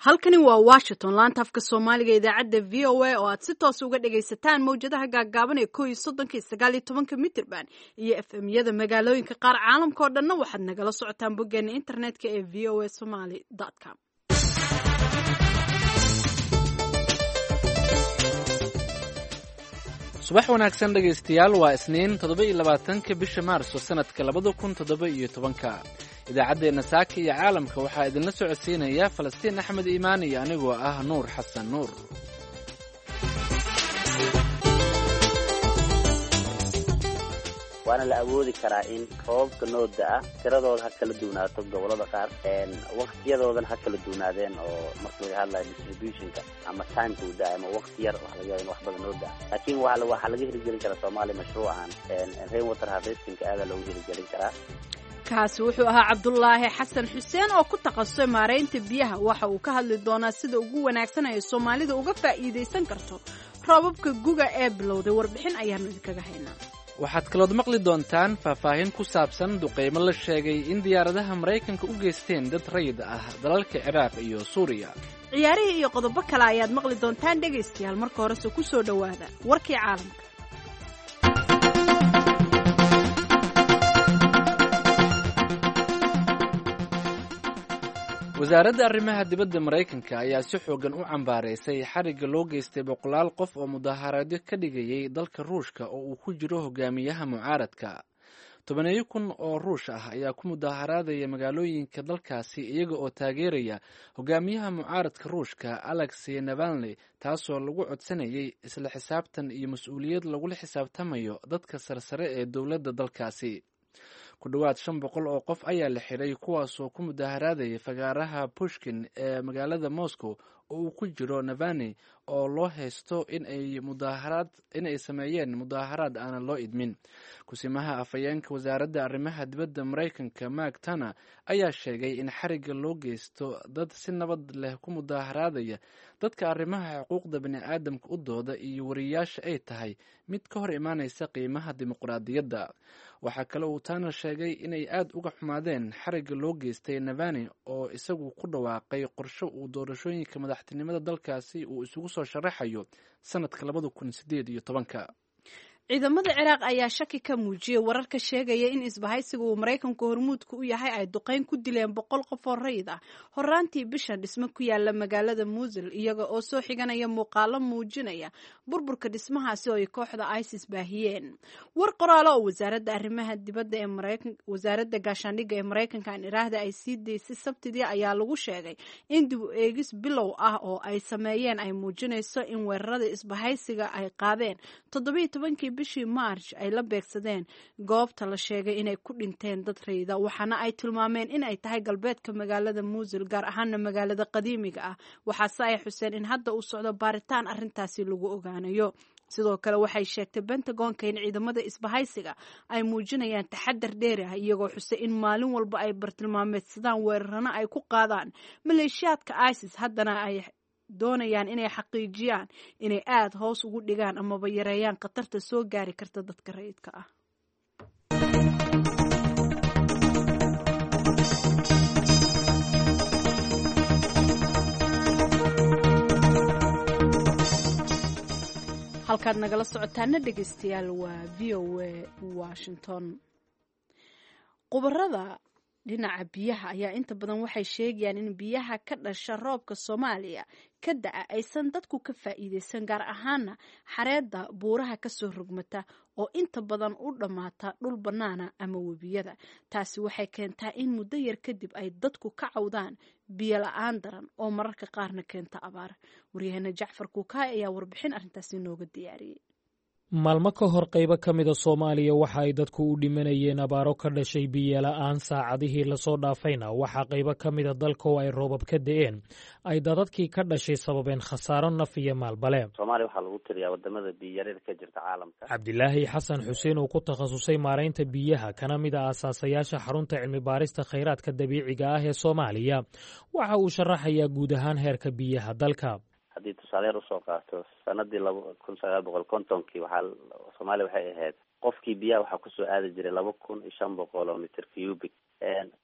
Halkani waa Washington, laanta afka Soomaaliga, idaacadda VOA oo aad si toos uga dhagaysataan mawjadaha gaaggaaban ee 31-ka iyo 19-ka mitirban iyo FM-yada magaalooyinka qaar. Caalamka oo dhanna waxaad nagala socotaan boggeena internetka ee voasomali com. Subax wanaagsan dhegaystayaal, waa Isniin, 27-ka bisha Maarso, sanadka 2017-ka. Idaacaddeenna saaka iyo caalamka waxaa idinla socodsiinaya Falastiin Axmed Iimaan iyo anigoo ah Nuur Xasan Nuur. Waana la awoodi karaa in roobabka noo da-a tiradooda ha kala duwanaato, gobolada qaar waktiyadoodan ha kala duwanaadeen, oo marka laga hadlayo distributionka ama timeka uu da-ay ama wakti yar waxa laga yaaba in wax badan noo da-a, laakiin waxaa laga hirgelin karaa Soomaaliya mashruucan rain water harvestingka, aadaa loogu hirgelin karaa. Kaasi wuxuu ahaa Cabdulaahi Xasan Xuseen oo ku takhasusay maaraynta biyaha. Waxa uu ka hadli doonaa sida ugu wanaagsan ay Soomaalida uga faa'iidaysan karto roobabka guga ee bilowday. Warbixin ayaanu idinkaga haynaa. Waxaad kalood maqli doontaan faahfaahin ku saabsan duqaymo la sheegay in diyaaradaha Maraykanka u geysteen dad rayid ah dalalka Ciraaq iyo Suuriya. Ciyaarihii iyo qodobo kale ayaad maqli doontaan dhegaystayaal. Marka horese ku soo dhowaada warkii caalamka. Wasaaradda arrimaha dibadda Maraykanka ayaa si xoogan u cambaaraysay xarigga loo geystay boqolaal qof oo mudaharaadyo ka dhigayay dalka Ruushka oo uu ku jiro hogaamiyaha mucaaradka. Tobaneeyo kun oo Ruush ah ayaa ku mudaharaadaya magaalooyinka dalkaasi iyaga oo taageeraya hogaamiyaha mucaaradka Ruushka Alexey Navalny, taasoo lagu codsanayay isla xisaabtan iyo mas-uuliyad lagula xisaabtamayo dadka sarsare ee dowladda dalkaasi. Ku dhowaad 500 oo qof ayaa la xiray, kuwaasoo ku mudaharaadaya fagaaraha Pushkin ee magaalada Moscow oo uu ku jiro Navani, oo loo haysto inay sameeyeen mudaaharaad aanan loo idmin. Kusimaha afhayeenka wasaaradda arrimaha dibadda Maraykanka Mark Tana ayaa sheegay in xarigga loo geysto dad si nabad leh ku mudaharaadaya, dadka arrimaha xuquuqda bini'aadamka u dooda iyo wariyaasha ay tahay mid ka hor imaanaysa qiimaha dimuqraadiyadda. Waxaa kale uu Tana sheegay inay aad uga xumaadeen xarigga loo geystay Navani, oo isagu ku dhawaaqay qorshe uu doorashooyinka madaxtinimada dalkaasi uu isugu soo sharaxayo sanadka 2018-ka. Ciidamada Ciraaq ayaa shaki ka muujiyey wararka sheegaya in isbahaysiga uu Maraykanku hormuudka u yahay ay duqeyn ku dileen 100 qof oo rayid ah horaantii bishan dhismo ku yaala magaalada Muusil, iyaga oo soo xiganaya muuqaalo muujinaya burburka dhismahaasi oo ay kooxda ISIS baahiyeen. War qoraalo oo wasaaradda arrimaha dibadda ee Maraykan, wasaaradda gaashaandhigga ee Maraykanka aan iraahda, ay sii daysay Sabtidii ayaa lagu sheegay in dib u eegis bilow ah oo ay sameeyeen ay muujinayso in weerarada isbahaysiga ay qaadeen 17-kii bishii Maarch ay la beegsadeen goobta la sheegay inay ku dhinteen dad rayida, waxaana ay tilmaameen in ay tahay galbeedka magaalada Muusil, gaar ahaana magaalada qadiimiga ah. Waxaase ay xuseen in hadda uu socdo baaritaan arrintaasi lagu ogaanayo. Sidoo kale waxay sheegtay Pentagonka in ciidamada isbahaysiga ay muujinayaan taxadar dheeri ah, iyagoo xusay in maalin walba ay bartilmaameedsadaan weerarana ay ku qaadaan maleeshiyaadka ISIS, haddana ay doonayaan inay xaqiijiyaan inay aada hoos ugu dhigaan amaba yareeyaan khatarta soo gaari karta dadka rayidka ah. Halkaad nagala socotaana dhegeystayaal waa VOA Washington. Khubarada dhinaca biyaha ayaa inta badan waxay sheegayaan in biyaha ka dhasha roobka Soomaaliya ka da'a aysan dadku ka faa'iidaysan, gaar ahaana xareedda buuraha kasoo rogmata oo inta badan u dhammaata dhul bannaana ama webiyada. Taasi waxay keentaa in muddo yar kadib ay dadku ka cawdaan biyo la-aan daran oo mararka qaarna keenta abaar. Waryaheena Jacfar Kuukaay ayaa warbixin arrintaasi nooga diyaariyey. Maalmo ka hor qaybo ka mida Soomaaliya waxa ay dadku u dhimanayeen abaaro ka dhashay biyola'aan. Saacadihii lasoo dhaafayna waxaa qaybo ka mida dalka oo ay roobab ka da'een ay dadadkii ka dhashay sababeen khasaaro naf iyo maalbale. Soomaaliya waxaa lagu tiriyaa wadamada biyarida ka jirta caalamka. Cabdilaahi Xasan Xuseen oo ku takhasusay maaraynta biyaha, kana mid a asaasayaasha xarunta cilmi baarista khayraadka dabiiciga ah ee Soomaaliya, waxa uu sharaxayaa guud ahaan heerka biyaha dalka. Haddii tusaale yar usoo qaato, sanadii 1950-kii waxaa Soomaaliya waxay ahayd Qofkii biyaha waxaa kusoo aadi jiray 2500 oo mitir cubic.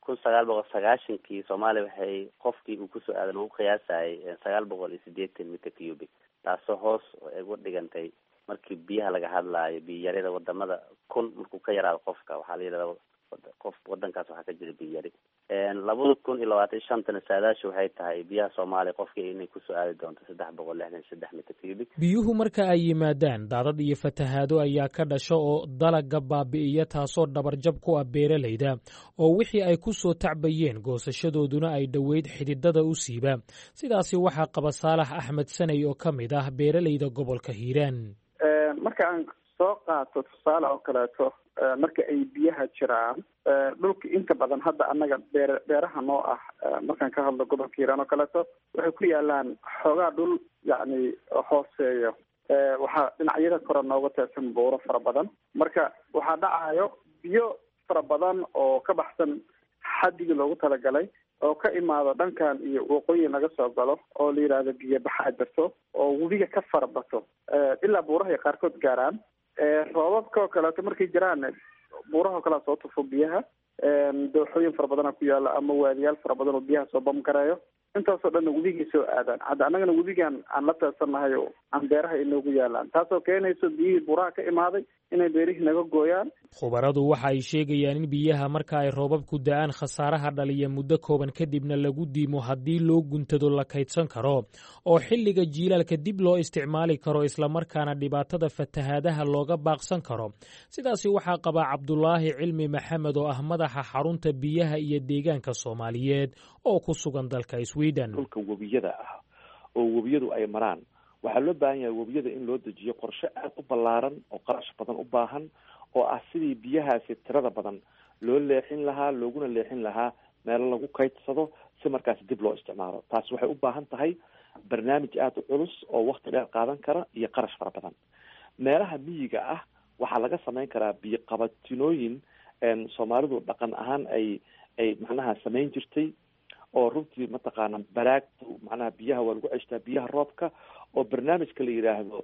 1990kii Soomaaliya waxay qofkii uu kusoo aaday lagu qiyaasayay 980 mitir cubic, taasoo hoos uga dhigantay markii biyaha laga hadlaayo biyayarida wadamada. 1000 markuu ka yaraado qofka, waxaa la yidhahda qof wadankaas waxaa ka jira biyayari. 2025-tana saadaashu waxay tahay biyaha Soomaaliya qofkii inay kusoo aadi doonto 363 mitir cubic. Biyuhu marka ay yimaadaan, daadad iyo fatahaado ayaa ka dhasha oo dalagga baabi'iya, taasoo dhabarjab ku ah beeralayda oo wixii ay ku soo tacbayeen goosashadooduna ay dhoweyd xididada u siiba. Sidaasi waxaa qaba Saalax Axmed Saney oo ka mid ah beeralayda gobolka Hiiraan. Marka aan soo qaato tusaale oo kaleeto, marka ay biyaha jiraan dhulka inta badan hadda annaga beeraha noo ah, markaan ka hadlo gobolka Hiiraan oo kaleeto, waxay ku yaalaan xoogaa dhul yacni hooseeyo. Waxaa dhinacyada kore nooga teersan buuro fara badan. Marka waxaa dhacayo biyo fara badan oo ka baxsan xaddigii loogu talagalay oo ka imaado dhankan iyo waqooyi laga soo galo, oo la yidhaahdo biyo baxaa jirto oo webiga ka farabato ilaa buurahay qaarkood gaaraan. Roobabka oo kaleeto markay jiraan, buuraha oo kalea soo tufo biyaha. Dooxooyin fara badana ku yaala ama waadiyaal fara badan oo biyaha soo bamgareeyo. Intaasoo dhanna webigay soo aadaan. Hadda annagana webigan aan la teersannahay oo aan beeraha inoogu yaalaan, taasoo keenayso biyihii buuraha ka imaaday inay beerihii naga gooyaan. Khubaradu waxa ay sheegayaan in biyaha marka ay roobabku da'aan khasaaraha dhaliya muddo kooban kadibna lagu diimo haddii loo guntado la kaydsan karo oo xilliga jiilaalka dib loo isticmaali karo, islamarkaana dhibaatada fatahaadaha looga baaqsan karo. Sidaasi waxaa qabaa Cabdulaahi Cilmi Maxamed oo ah madaxa xarunta biyaha iyo deegaanka Soomaaliyeed oo ku sugan dalka Sweden. Dhulka webiyada ah oo webiyadu ay maraan, waxaa loo baahan yahay webiyada in loo dejiyo qorshe aada u ballaaran oo qarash badan u baahan, oo ah sidii biyahaasi tirada badan loo leexin lahaa, looguna leexin lahaa meelo lagu kaydsado si markaasi dib loo isticmaalo. Taasi waxay u baahan tahay barnaamij aada u culus oo wakti dheer qaadan kara iyo qarash fara badan. Meelaha miyiga ah waxaa laga samayn karaa biyo qabatinooyin Soomaalidu dhaqan ahaan ay macnaha samayn jirtay, oo runtii mataqaana baraagtu macnaha biyaha waa lagu ceshtaa, biyaha roobka, oo barnaamijka la yidhaahdo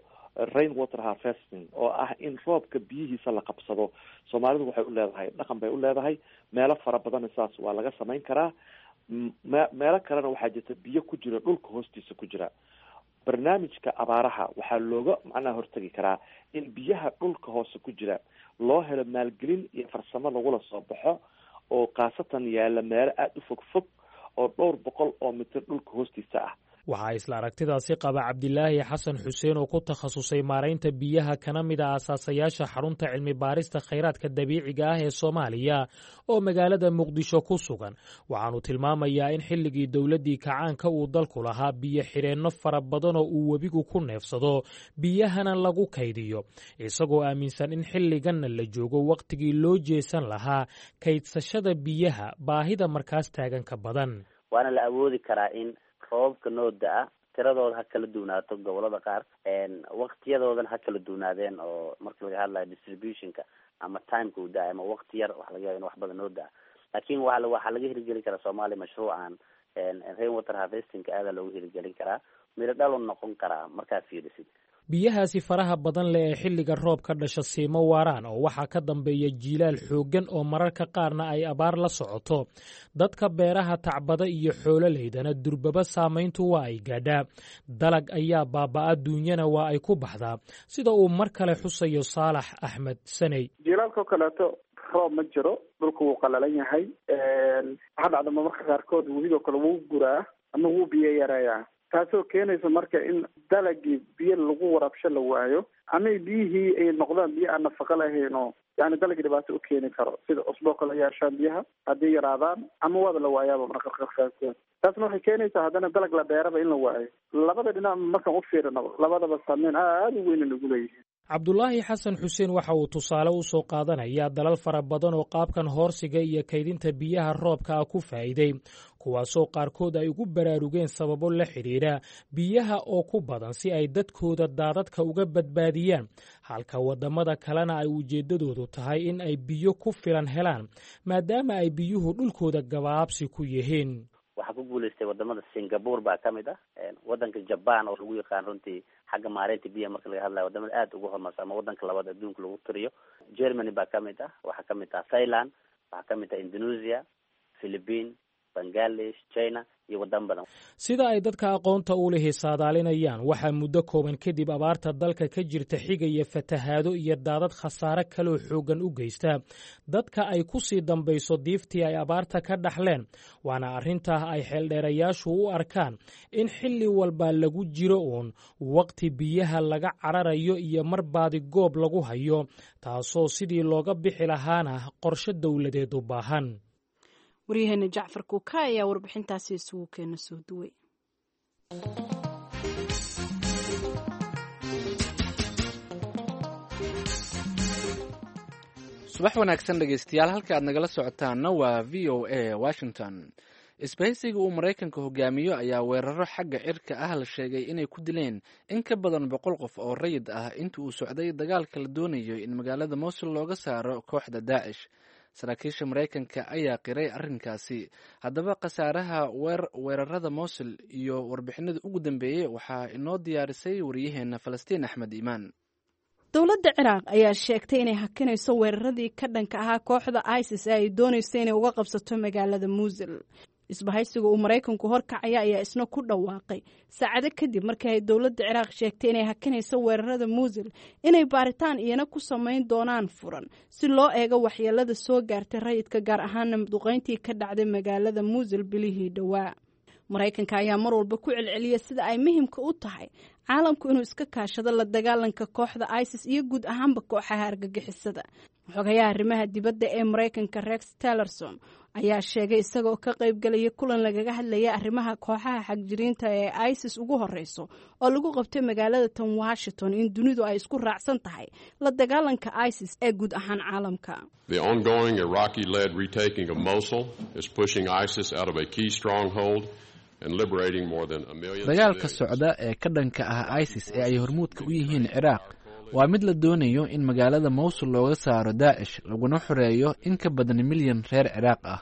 rain water harvesting, oo ah in roobka biyihiisa la qabsado. Soomaalidu waxay u leedahay dhaqan bay u leedahay. Meelo fara badanna saas waa laga samayn karaa. Meelo kalena waxaa jirta biyo ku jira dhulka hoostiisa ku jira. Barnaamijka abaaraha waxaa looga macnaha hortagi karaa in biyaha dhulka hoose ku jira loo helo maalgelin iyo farsamo lagula soo baxo, oo khaasatan yaala meelo aada u fog fog oo dhowr boqol oo mitir dhulka hoostiisa ah. Waxaa isla aragtidaasi qaba Cabdilaahi Xasan Xuseen oo ku takhasusay maaraynta biyaha, kana mid a asaasayaasha xarunta cilmi baarista khayraadka dabiiciga ah ee Soomaaliya oo magaalada Muqdisho ku sugan. Waxaanu tilmaamayaa in xilligii dowladdii kacaanka uu dalku lahaa biyo xidheenno fara badan oo uu webigu ku neefsado, biyahana lagu kaydiyo, isagoo aaminsan in xilliganna la joogo wakhtigii loo jeesan lahaa kaydsashada biyaha baahida markaas taagan ka badan. Waana la awoodi karaa in roobabka noo da-a tiradooda ha kala duwanaato gobolada qaar, waktiyadoodana ha kala duwanaadeen oo marka laga hadlayo distributionka ama timeka uu da-ay ama wakti yar waxa laga yaba in wax badan noo da-a. Laakiin waxaa laga hirgelin karaa Soomaaliya mashruucan rain water harvestingka aadaa loogu hirgelin karaa, miro dhalo noqon karaa markaa fiirisid. Biyahaasi faraha badan leh ee xilliga roobka dhasha siimo waaraan, oo waxaa ka dambeeya jiilaal xooggan oo mararka qaarna ay abaar la socoto. Dadka beeraha tacbada iyo xoololeydana durbaba saamayntu waa ay gaadhaa. Dalag ayaa baaba'a, duunyana waa ay ku baxdaa, sida uu mar kale xusayo Saalax Axmed Saney. Jiilaalka oo kaleeto roob ma jiro, dhulku wuu qalalan yahay. Waxaa dhacda marmarka qaarkood webigoo kale wuu guraa ama wuu biyo yareeyaa, taasoo keenaysa marka in dalagii biyo lagu waraabsho la waayo, ama biyihii ay noqdaan biyo aan nafaqo lahayn oo yani dalagii dhibaato u keeni karo, sida cusboo kale yeeshaan biyaha haddii yaraadaan ama waaba la waayaaba marka qaarkood. Taasna waxay keenaysaa haddana dalag la beeraba in la waayo. Labada dhinac markaan u fiirinaba, labadaba saameyn aada u weyn ugu leeyihiin. Cabdulaahi Xasan Xuseen waxa uu tusaale u soo qaadanayaa dalal fara badan oo qaabkan hoorsiga iyo kaydinta biyaha roobka ah ku faa'iiday, kuwaasoo qaarkood ay ugu baraarugeen sababo la xidhiidha biyaha oo ku badan si ay dadkooda daadadka uga badbaadiyaan, halka waddamada kalena ay ujeeddadoodu tahay in ay biyo ku filan helaan maadaama ay biyuhu dhulkooda gabaabsi ku yihiin. Waxaa Waxaa ku guuleystay wadamada Singapore baa kamid ah, wadanka Japan oo lagu yaqaan runtii xagga maareynta biyaha marka laga hadlayo wadamada aada ugu horumarsan ama wadanka labaad adduunka lagu tiriyo. Germany baa kamid ah, waxaa kamid ah Thailand, waxaa kamid ah Indonesia, Philippine, Bangladesh, China iyo wadamo badan. Sida ay dadka aqoonta u lihi saadaalinayaan, waxaa muddo kooban kadib abaarta dalka ka jirta xigaya fatahaado iyo daadad khasaare kaloo xooggan u geysta dadka ay ku sii dambayso diiftii ay abaarta ka dhaxleen. Waana arrintaa ay xeeldheerayaashu u arkaan in xilli walba lagu jiro uun waqti biyaha laga cararayo iyo mar baadi goob lagu hayo, taasoo sidii looga bixi lahaana qorshe dowladeed u baahan. Waryaheena Jacfar Kuuka ayaa warbixintaasi isugu keena soo duway. Subax wanaagsan dhegeystayaal, halka aad nagala socotaana waa VOA Washington. Isbahaysiga uu Maraykanka hogaamiyo ayaa weeraro xagga cirka ah la sheegay inay ku dileen in ka badan 100 qof oo rayid ah inta uu socday dagaalka la doonayo in magaalada Mosul looga saaro kooxda Daacish. Saraakiisha Maraykanka ayaa qiray arrinkaasi. Haddaba khasaaraha weerarada Mosul iyo warbixinada ugu dambeeyey waxaa inoo diyaarisay wariyaheena Falastiin Axmed Iimaan. Dowladda Ciraaq ayaa sheegtay inay hakinayso weeraradii ka dhanka ahaa kooxda ISIS ee ay doonayso inay uga qabsato magaalada Muusil. Isbahaysiga uu Maraykanku horkacaya ayaa isna ku dhawaaqay saacado kadib markii ay dowladda Ciraaq sheegtay inay hakinayso weerarada Muusil inay baaritaan iyana ku samayn doonaan furan si loo eego waxyeelada soo gaartay rayidka, gaar ahaana duqeyntii ka dhacday magaalada Muusil bilihii dhowaa. Maraykanka ayaa mar walba ku celceliya sida ay muhiimka u tahay caalamku inuu iska kaashado la dagaalanka kooxda ISIS iyo guud ahaanba kooxaha argagixisada. Xogayaha arrimaha dibadda ee Maraykanka Rex Tillerson ayaa sheegay isagoo ka qaybgalaya kulan lagaga hadlaya arrimaha kooxaha xagjiriinta ee ISIS ugu horeyso oo lagu qabtay magaalada tan Washington in dunidu ay isku raacsan tahay la dagaalanka ISIS ee guud ahaan caalamka. The ongoing Iraqi-led retaking of Mosul is pushing ISIS out of a key stronghold. Dagaalka socda ee ka dhanka ah ISIS ee ay hormuudka u yihiin Ciraaq waa mid la doonayo in magaalada Mowsul looga saaro Daacish laguna xoreeyo in ka badan milyan reer Ciraaq ah.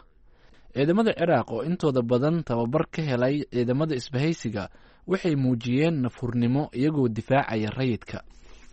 Ciidamada Ciraaq oo intooda badan tababar ka helay ciidamada isbahaysiga waxay muujiyeen nafhurnimo iyagoo difaacaya rayidka.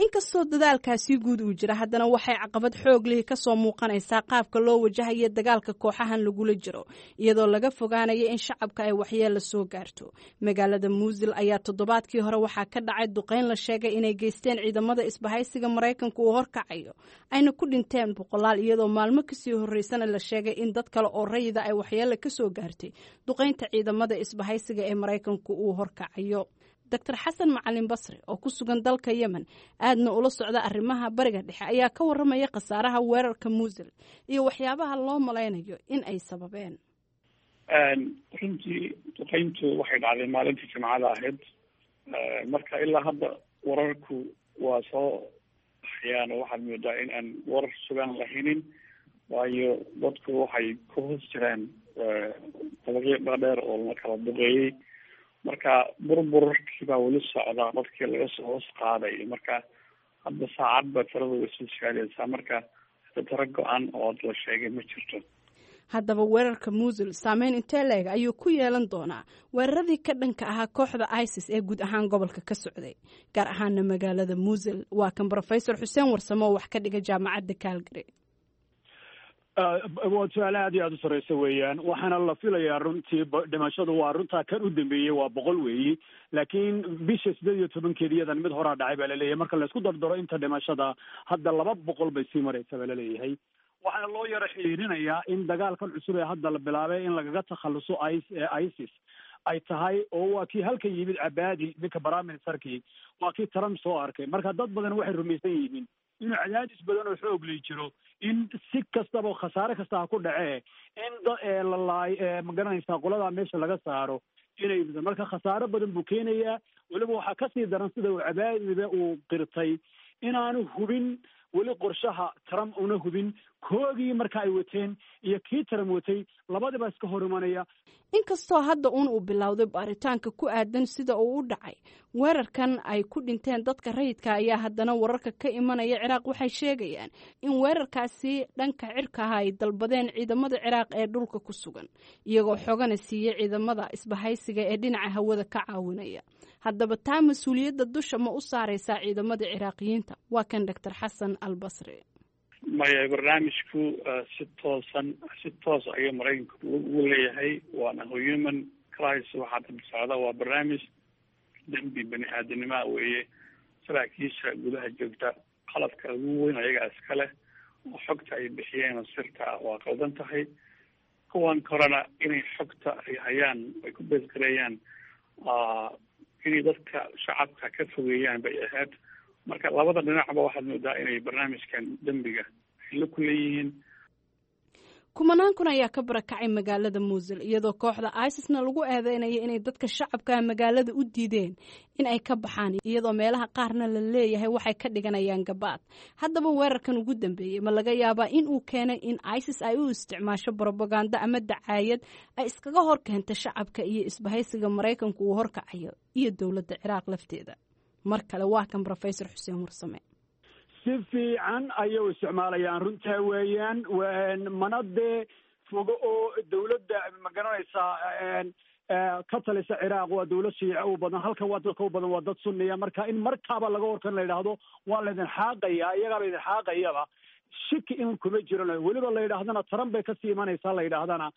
Inkastoo dadaalkaasi guud uu jira, haddana waxay caqabad xoog lihi ka soo muuqanaysaa qaabka loo wajahayo dagaalka kooxahan lagula jiro, iyadoo laga fogaanayo in shacabka ay waxyeella soo gaarto. Magaalada Muusil ayaa toddobaadkii hore waxaa ka dhacay duqeyn la sheegay inay geysteen ciidamada isbahaysiga Maraykanku uu horkacayo, ayna ku dhinteen boqolaal, iyadoo maalmo kasii horreysana la sheegay in dad kale oo rayida ay waxyeella ka soo gaartay duqeynta ciidamada isbahaysiga ee Maraykanku uu horkacayo. Dr Xasan Macalin Basri oo ku sugan dalka Yemen aadna ula socda arrimaha Bariga Dhexe ayaa ka waramaya khasaaraha weerarka Muusil iyo waxyaabaha loo malaynayo in ay sababeen. Runtii duqeyntu waxay dhacday maalintii Jimcada ahayd. Marka ilaa hadda wararku waa soo baxayaan oo waxaad moodaa in aan warar sugan lahaynin, waayo dadku waxay ku hoos jiraan dabaqyo dhaadheer oo la kala duqeeyey. Marka burburkii baa weli socda, dadkii laga soo hoos qaaday. Marka hadda saacad ba tiradu way soo siyaadaysaa, marka hadda tiro go-an oo la sheegay ma jirto. Haddaba weerarka Muusil saameyn intee leeg ayuu ku yeelan doonaa weeraradii ka dhanka ahaa kooxda ISIS ee guud ahaan gobolka ka socday, gaar ahaana magaalada Muusil? Waa kan Brofesor Xuseen Warsamo oo wax ka dhiga Jaamacadda Calgary. Waa su-aal aad iyo aada u sarreysa weeyaan. Waxaana la filayaa runtii dhimashadu waa runtaa kan u dambeeyey waa 100 weeyi, laakiin bisha 18-keedi iyadan mid horaa dhacay baa laleeyahay. Marka laisku dardaro inta dhimashada hadda 200 bay sii maraysa baa laleeyahay. Waxaana loo yaro xiriirinayaa in dagaalkan cusub ee hadda la bilaabay in lagaga takhaluso ISIS ay tahay, oo waa kii halkan yimid Cabaadi, ninka prime ministerkii, waa kii Trump soo arkay. Marka dad badan waxay rumaysan yihiin inuu cadaadis badan oo xoog lay jiro in si kastaba khasaare kasta ha ku dhacee in lalaay magaranaysaa qoladaa meesha laga saaro inay. Marka khasaare badan buu keenayaa. Weliba waxaa kasii daran sida uu Cabaadiba uu qirtay inaanu hubin weli qorshaha Trump, una hubin Koogii marka ay wateen iyo kii Trump watay labadiba iska hor imanaya. Inkastoo hadda uun uu bilowday baaritaanka ku aadan sida uu u dhacay weerarkan ay ku dhinteen dadka rayidka, ayaa haddana wararka ka imanaya Ciraaq waxay sheegayaan in weerarkaasi dhanka cirka ah ay dalbadeen ciidamada Ciraaq ee dhulka ku sugan, iyagoo xogana siiyey ciidamada isbahaysiga ee dhinaca hawada ka caawinaya. Haddaba taa mas-uuliyadda dusha ma u saareysaa ciidamada Ciraaqiyiinta? Waa kan Doctor Xasan Albasri. Maya, barnaamijku si toosan, si toos ayuu Maraykanku ugu leeyahay, waana human crisis. Waxaa daba socda waa barnaamij dembi bani aadamnimaa weeye. Saraakiisha gudaha joogta qalabka ugu weyn ayagaa iska leh, oo xogta ay bixiyeen oo sirta ah waa qaldan tahay. Kuwan korena inay xogta ay hayaan ay ku beesgareeyaan, inay dadka shacabka ka fogeeyaan bay ahayd. Marka labada dhinacba waxaad moodaa inay barnaamijkan dembiga ay la ku leeyihiin. Kumanaan kun ayaa ka barakacay magaalada Muusul, iyadoo kooxda ISISna lagu eedeynaya inay dadka shacabka magaalada u diideen in ay ka baxaan, iyadoo meelaha qaarna la leeyahay waxay ka dhiganayaan gabaad. Haddaba weerarkan ugu dambeeyey ma laga yaabaa in uu keenay in ISIS ay u isticmaasho brobaganda ama dacaayad ay iskaga hor keenta shacabka iyo isbahaysiga Maraykanku uu horkacayo iyo dowladda Ciraaq lafteeda? Mar kale waa kan Rofesor Xuseen Warsame. Si fiican ayay u isticmaalayaan, runtaa weeyaan. Mana dee fogo oo dawladda, ma garanaysaa, ka talisa Ciraaq waa dawlad Shiice u badan, halkan waa dadka u badan waa dad Sunniya. Marka in markaaba laga horkan la yidhaahdo waa laydin xaaqaya, iyagaa laydin xaaqayaba, shiki in kuma jiran. Weliba la yidhaahdana Trump bay kasii imanaysaa la yidhaahdana,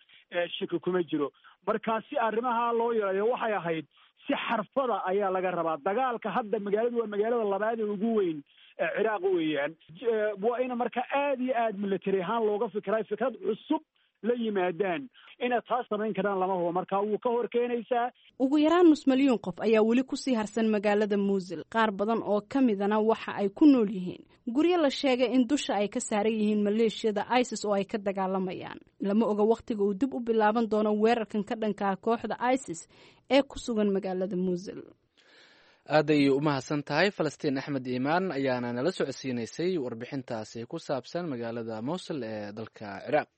shiki kuma jiro. Marka si arrimaha loo yareeyo waxay ahayd si xarfada ayaa laga rabaa dagaalka. Hadda magaaladu waa magaalada labaad ee ugu weyn Ciraaq weeyaan. Waa ina marka aad iyo aad military ahaan looga fikiray, fikrad cusub la yimaadaan. Inay taas samayn karaan lama hubo, marka wuu ka hor keenaysaa. Ugu yaraan nus milyuun qof ayaa weli kusii harsan magaalada Muusil. Qaar badan oo ka midana waxa ay ku nool yihiin guryo la sheegay in dusha ay ka saaran yihiin maleeshiyada ISIS oo ay ka dagaalamayaan. Lama oga wakhtiga uu dib u bilaaban doono weerarkan ka dhankaa kooxda ISIS ee ku sugan magaalada Muusil. Aad ayay u mahadsan tahay Falastiin Axmed Iimaan ayaana nala socodsiinaysay warbixintaasi ku saabsan magaalada Mowsul ee dalka Ciraaq.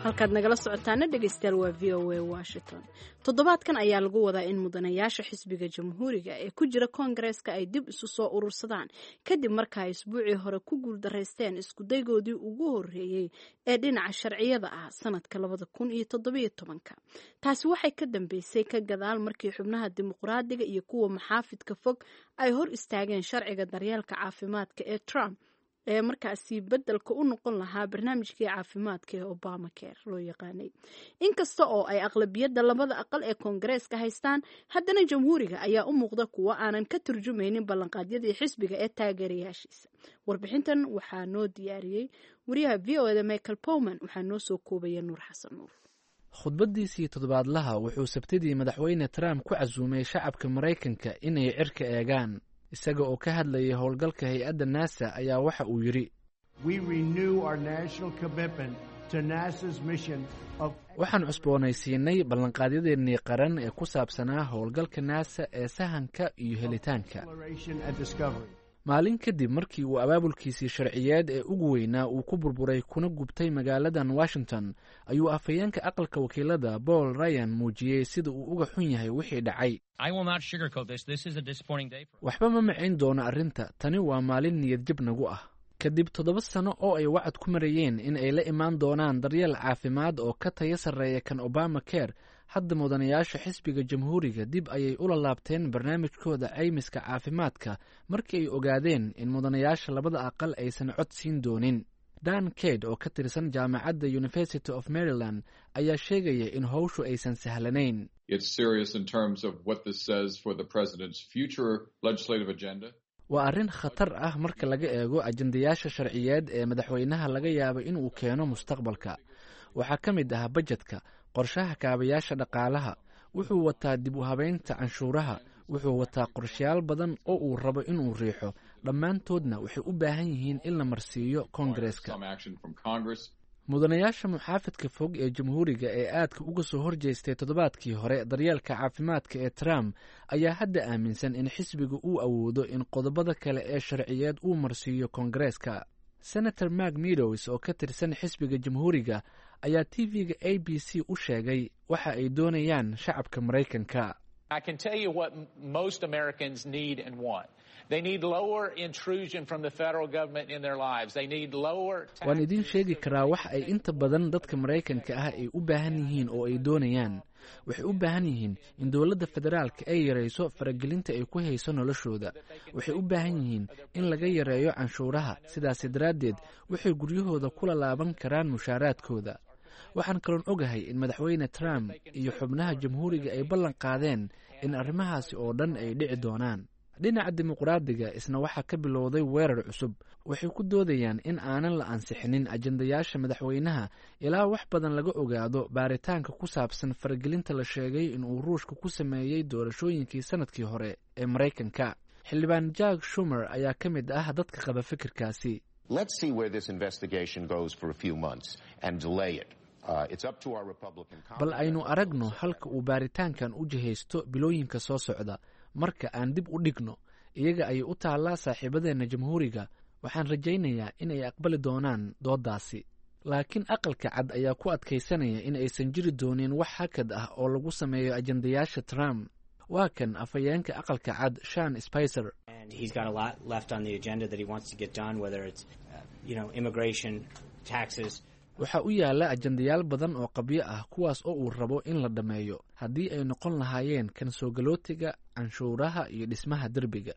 Halkaad nagala socotaana, dhegeystayaal, waa VOA Washington. Toddobaadkan ayaa lagu wadaa in mudanayaasha xisbiga Jamhuuriga ee ku jira Koongareeska ay dib isu soo urursadaan, kadib marka ay isbuucii hore ku guuldaraysteen iskudaygoodii ugu horreeyey ee dhinaca sharciyada ah sanadka 2017-ka. Taasi waxay ka dambeysay ka gadaal markii xubnaha Dimuqraadiga iyo kuwa maxaafidka fog ay hor istaageen sharciga daryeelka caafimaadka ee Trump ee markaasi beddelka u noqon lahaa barnaamijkii caafimaadka ee Obamacare loo yaqaanay. Inkasta oo ay aqlabiyadda labada aqal ee Koongareeska haystaan, haddana Jamhuuriga ayaa u muuqda kuwo aanan ka turjumaynin ballanqaadyadii xisbiga ee taageerayaashiisa. Warbixintan waxaa noo diyaariyey wariyaha VOA-da Michael Powman, waxaa noo soo koobaya Nuur Xasan Nuur. Khudbaddiisii toddobaadlaha wuxuu Sabtidii Madaxweyne Trump ku casuumay shacabka Maraykanka inay cirka eegaan. Isaga oo ka hadlayay howlgalka hay-adda NASA ayaa waxa uu yidhi: "Waxaan cusboonaysiinay ballanqaadyadeennii qaran ee ku saabsanaa howlgalka NASA ee sahanka iyo helitaanka." Maalin kadib markii uu abaabulkiisii sharciyeed ee ugu weynaa uu ku burburay kuna gubtay magaaladan Washington, ayuu afhayeenka Aqalka Wakiilada Paul Ryan muujiyey sida uu uga xun yahay wixii dhacay. "Waxba ma macayn doono arrinta tani, waa maalin niyadjab nagu ah." Kadib 7 sano oo ay wacad ku marayeen in ay la imaan doonaan daryeel caafimaad oo ka tayo sarreeya kan Obama Care, hadda mudanayaasha xisbiga Jamhuuriga dib ayay ula laabteen barnaamijkooda caymiska caafimaadka markii ay ogaadeen in mudanayaasha labada aqal aysan cod siin doonin. Dan Cade oo ka tirsan jaamacadda University of Maryland ayaa sheegaya in howshu aysan sahlanayn. Waa arrin khatar ah marka laga eego ajendayaasha sharciyeed ee madaxweynaha laga yaabo inuu keeno mustaqbalka. Waxaa ka mid ah bajedka, qorshaha kaabayaasha dhaqaalaha, wuxuu wataa dib u habeynta canshuuraha, wuxuu wataa qorshayaal badan oo uu rabo inuu riixo. Dhammaantoodna waxay u baahan yihiin in la marsiiyo Koongareeska. Mudanayaasha muxaafidka fog ee Jamhuuriga ee aadka uga soo horjeestay toddobaadkii hore daryeelka caafimaadka ee Trump ayaa hadda aaminsan in xisbiga uu awoodo in qodobada kale ee sharciyeed uu marsiiyo Koongareeska. Senator Mark Meadows oo ka tirsan xisbiga Jamhuuriga ayaa TV-ga ABC u sheegay waxa ay doonayaan shacabka Maraykanka. I can tell you what most Americans need and want. They need lower intrusion from the federal government in their lives. They need lower Waan idiin sheegi karaa waxa ay inta badan dadka Maraykanka ah ay u baahan yihiin oo ay doonayaan. Waxay u baahan yihiin in dowladda federaalka ay yarayso faragelinta ay ku hayso noloshooda. Waxay u baahan yihiin in laga yareeyo canshuuraha, sidaasi daraaddeed waxay guryahooda kula laaban karaan mushaaraadkooda. Waxaan kaloon ogahay in Madaxweyne Trump iyo xubnaha Jamhuuriga ay ballan qaadeen in arrimahaasi oo dhan ay dhici doonaan. Dhinaca Dimuqraadiga isna waxaa ka bilowday weerar cusub. Waxay ku doodayaan in aanan la ansixinin ajandayaasha madaxweynaha ilaa wax badan laga ogaado baaritaanka ku saabsan faragelinta la sheegay inuu Ruushka ku sameeyey doorashooyinkii sanadkii hore ee Maraykanka. Xildhibaan Jack Shumer ayaa ka mid ah dadka qaba fikirkaasi. Let's see where this investigation goes for a few months and delay it. It's up to our Republican Bal aynu aragno halka uu baaritaankan u jihaysto bilooyinka soo socda. Marka aan dib u dhigno, iyaga ayay u taallaa saaxiibadeenna Jamhuuriga. Waxaan rajaynayaa in ay aqbali doonaan dooddaasi. Laakiin Aqalka Cad ayaa ku adkaysanaya in aysan jiri doonin wax hakad ah oo lagu sameeyo ajandayaasha Trump. Waa kan afhayeenka Aqalka Cad, Shan Spicer. And he's got a lot left on the agenda that he wants to get done, whether it's, immigration, taxes. Waxaa u yaalla ajandayaal badan oo qabyo ah, kuwaas oo uu rabo in la dhammeeyo, haddii ay noqon lahaayeen kan soo galootiga, canshuuraha iyo dhismaha derbiga.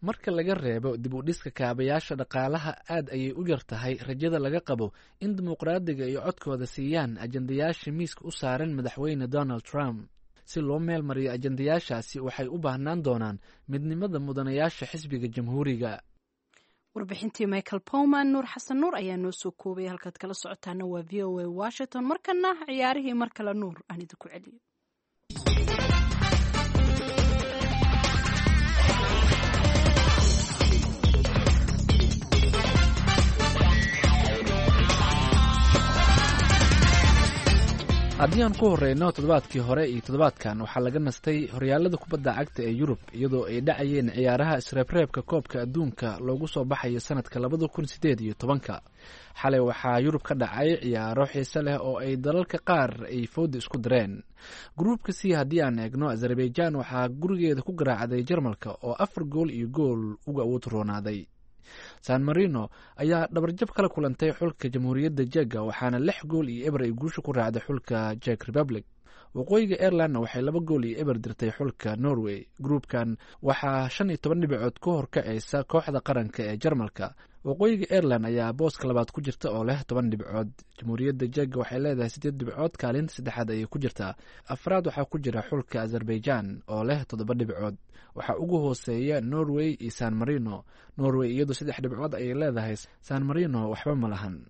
Marka laga reebo dib u dhiska kaabayaasha dhaqaalaha, aad ayay u yar tahay rajada laga qabo in Dimuqraadiga ay codkooda siiyaan ajandayaasha miiska u saaran madaxweyne Donald Trump. Si loo meel mariyo ajandayaashaasi, waxay u baahnaan doonaan midnimada mudanayaasha xisbiga Jamhuuriga. Warbixintii Michael Powman, Nuur Xasan Nuur ayaa noo soo koobay. Halkaad kala socotaana waa VOA Washington. Markana ciyaarihii mar kale, Nuur aan idinku celiyo. Haddii aan ku horeyno toddobaadkii hore iyo toddobaadkan, waxaa laga nastay horyaalada kubadda cagta ee Yurub, iyadoo ay dhacayeen ciyaaraha isreebreebka koobka adduunka loogu soo baxayo sanadka 2018-ka. Xalay waxaa Yurub ka dhacay ciyaaro xiise leh oo ay dalalka qaar ay fooda isku direen. Gruubka C haddii aan eegno, Azerbaijan waxaa gurigeeda ku garaacday Jarmalka oo 4 gool iyo gool uga awood roonaaday. San Marino ayaa dhabarjab kala kulantay xulka Jamhuuriyadda Jega, waxaana 6 gool iyo 0 ay guusha ku raacday xulka Jek Republic. Waqooyiga Airlandna waxay 2 gool iyo 0 dirtay xulka Norway. Gruubkan waxaa 15 dhibcood ku horkacaysa kooxda qaranka ee Jarmalka. Waqooyiga Airland ayaa booska labaad ku jirta oo leh 10 dhibcood. Jamhuuriyadda Jega waxay leedahay siddeed dhibcood, kaalinta saddexaad ayay ku jirtaa. Afraad waxaa ku jira xulka Azerbaijan oo leh 7 dhibcood. Waxaa ugu hooseeya Norway iyo San Marino. Norway iyadu saddex dhibcood ayay leedahay, San Marino waxba ma lahan.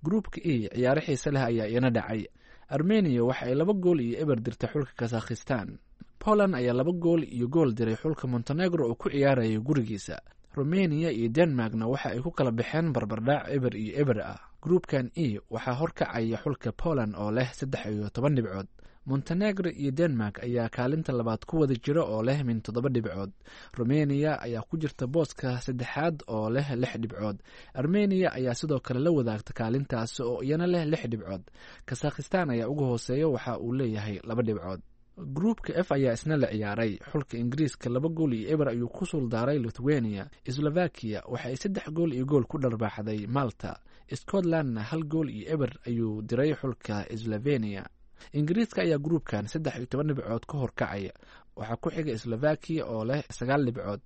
Gruubka E ciyaaro xiise leh ayaa iyana dhacay. Armenia waxa ay 2 gool iyo 0 dirtay xulka Kazakhistan. Poland ayaa 2 gool iyo gool diray xulka Montenegro oo ku ciyaaraya gurigiisa. Romania iyo Denmarkna waxa ay ku kala baxeen barbardhac 0-0 ah. Gruubkan E waxaa horkacaya xulka Poland oo leh 13 dhibcood. Montenegro iyo Denmark ayaa kaalinta labaad ku wada jira oo leh min 7 dhibcood. Romania ayaa ku jirta booska saddexaad oo leh 6 dhibcood. Armenia ayaa sidoo kale la wadaagta kaalintaasi oo iyana leh 6 dhibcood. Kasakhistan ayaa uga hooseeya, waxa uu leeyahay 2 dhibcood. Gruubka F ayaa isna la ciyaaray. Xulka Ingiriiska 2 gool iyo 0 ayuu ku suuldaaray Lithuania. Slovakia waxa ay 3 gool iyo gool ku dharbaaxday Malta. Scotlandna 1 gool iyo 0 ayuu diray xulka Slovenia. Ingiriiska ayaa gruubkan 13 dhibcood ka horkacaya. Waxaa ku xiga Slovakia oo leh 9 dhibcood.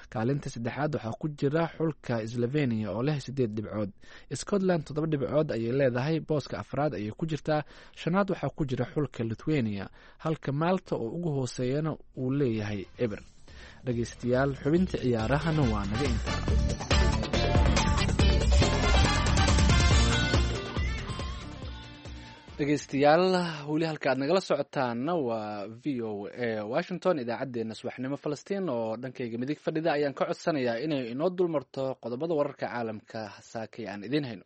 Kaalinta saddexaad waxaa ku jira xulka Slovenia oo leh 8 dhibcood. Scotland 7 dhibcood ayay leedahay, booska afraad ayay ku jirtaa. Shanaad waxaa ku jira xulka Lithuania, halka Malta oo ugu hooseeyana uu leeyahay 0. Dhegeystayaal, xubinta ciyaarahana waa naga intaa. Dhegeystayaal, weli halka aad nagala socotaana waa VOA Washington, idaacaddeenna subaxnimo. Falastiin oo dhankayga midig fadhida ayaan ka codsanayaa inay inoo dulmarto qodobada wararka caalamka saakay aan idiin hayno.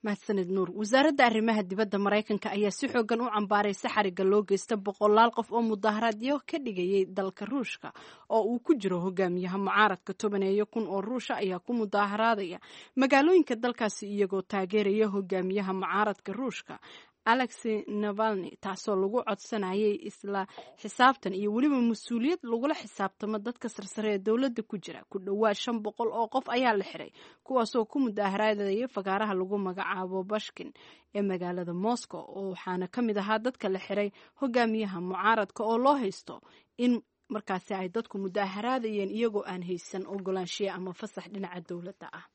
Mahadsanid Nuur. Wasaaradda arrimaha dibadda Maraykanka ayaa si xoogan u cambaaraysa xarigga loo geysta boqolaal qof oo mudaharaadyo ka dhigayay dalka Ruushka oo uu ku jiro hogaamiyaha mucaaradka. 10,000 oo Ruusha ayaa ku mudaharaadaya magaalooyinka dalkaasi iyagoo taageeraya hogaamiyaha mucaaradka Ruushka Alexi Navalny, taasoo lagu codsanayay isla xisaabtan iyo weliba mas-uuliyad lagula xisaabtamo dadka sarsare ee dowladda ku jira. Ku dhowaad 500 oo qof ayaa la xiray, kuwaasoo ku mudaharaadaya fagaaraha lagu magacaabo Bashkin ee magaalada Moscow, oo waxaana ka mid ahaa dadka la xiray hogaamiyaha mucaaradka oo loo haysto in markaasi ay dadku mudaharaadayeen iyagoo aan haysan ogolaanshiya ama fasax dhinaca dowladda ah.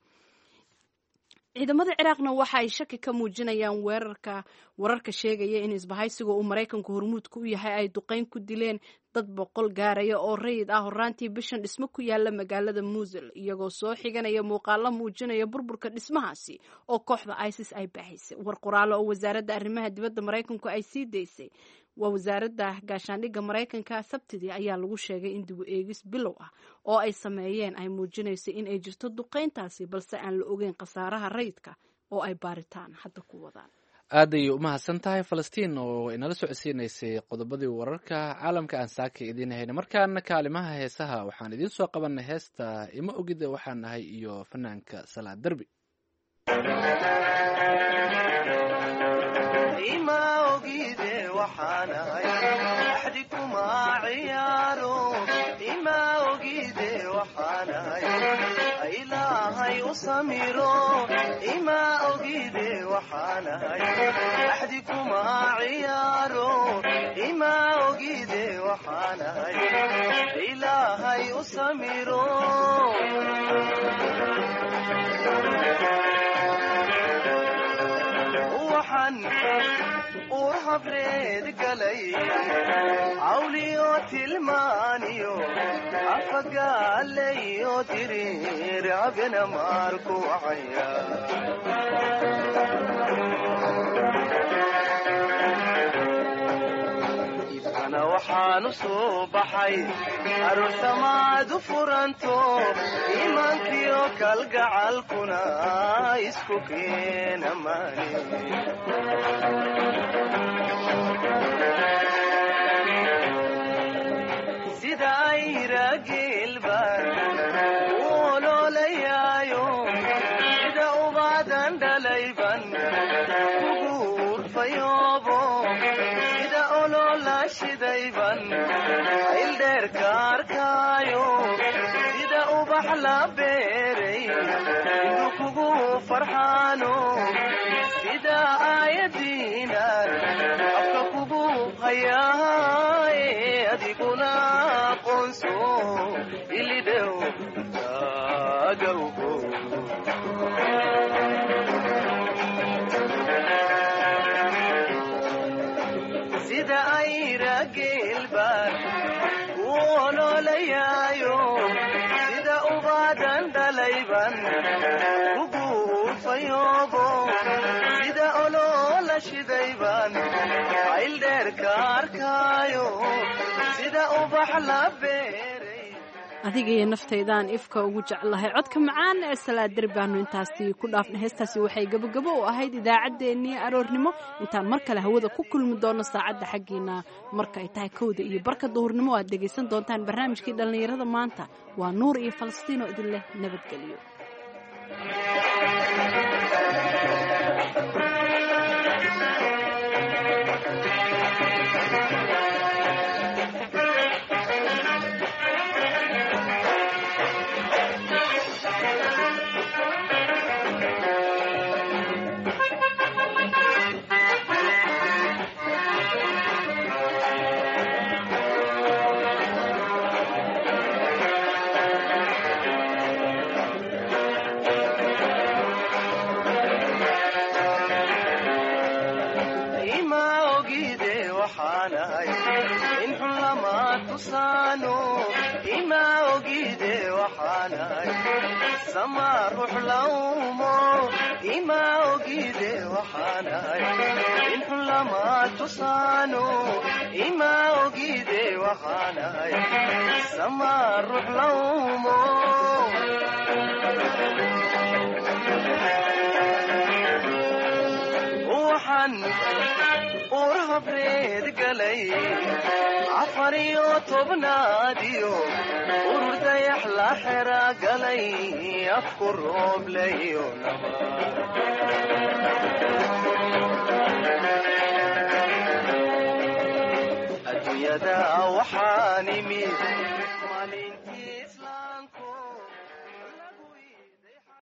Ciidamada Ciraaqna waxa ay shaki ka muujinayaan weerarka wararka sheegaya in isbahaysiga uu Maraykanku hormuudka u yahay ay duqeyn ku dileen dad 100 gaaraya oo rayid ah horaantii bishan dhismo ku yaala magaalada Muusul, iyagoo soo xiganaya muuqaalo muujinaya burburka dhismahaasi oo kooxda ISIS ay baahisay. War qoraalo oo wasaaradda arrimaha dibadda Maraykanku ay sii daysay, waa wasaaradda gaashaandhigga Maraykanka, Sabtidii ayaa lagu sheegay in dib u eegis bilow ah oo ay sameeyeen ay muujinayso in ay jirto duqeyntaasi, balse aan la ogeyn khasaaraha rayidka oo ay baaritaan hadda ku wadaan. Aad ayay u mahadsan tahay Falastiin oo inala socodsiinaysay qodobadii wararka caalamka aan saaka idiin hayna. Markaana kaalimaha heesaha waxaan idiin soo qabanay heesta Ima Ogida Waxaan Nahay iyo fanaanka Salaad Derbi. Ima ogide waxaanahay axdi kuma ciyaaro, ima ogide waxaanahay ilaahay u samiro, ima ogide waxaanahay axdi kuma ciyaaro, ima ogide waxaanahay ilaahay u samiro. Waxaan ur habreed galay cawliyo tilmaaniyo afagaalayo diriir abena maarku wacaya. Ibkana waxaan u soo baxay aroosamaad u furanto iimaankiyo kalgacalkuna isku keena maane. Sida ayra geelbaan u oloolayaayo, sida ubaadan dhalayban kugu urfayoobo, sida oloola shidayban ildheerka arkaayo, sida ubax la beeray inuu kugu farxaano, sida aayadiinan afka kugu hayaaye adiguna aqoonso ilidhow taagawgo. Sida ayra geelbaan u oloolayaayo, sida ubaadan dhalayban kugu urfayoobo, sida oloola shidayban ayldheerka arkaayo, sida ubax la beeray. Adiga iyo naftaydaan ifka ugu jeclahay, codka macaan ee Salaadir baanu intaasi ku dhaafnay. Heestaasi waxay gabogabo u ahayd idaacaddeenii aroornimo. Intaan mar kale hawada ku kulmi doono saacadda xaggiina marka ay tahay 1:15 duhurnimo, aad dhegaysan doontaan barnaamijkii dhallinyarada maanta. Waa Nuur iyo Falastiin oo idin leh nabadgelyo. Ima ogide waxaanahay in xun lama tusaano, ima ogide waxaanahay sama ruux lawmo, ima ogide waxaanahay in xun lama tusaano, ima ogide waxaanahay sama ruux lawmo. Markaan uur habreed galay, 14aad urur dayax la xera galay, afku rooblayo. Adduunyada waxaan imid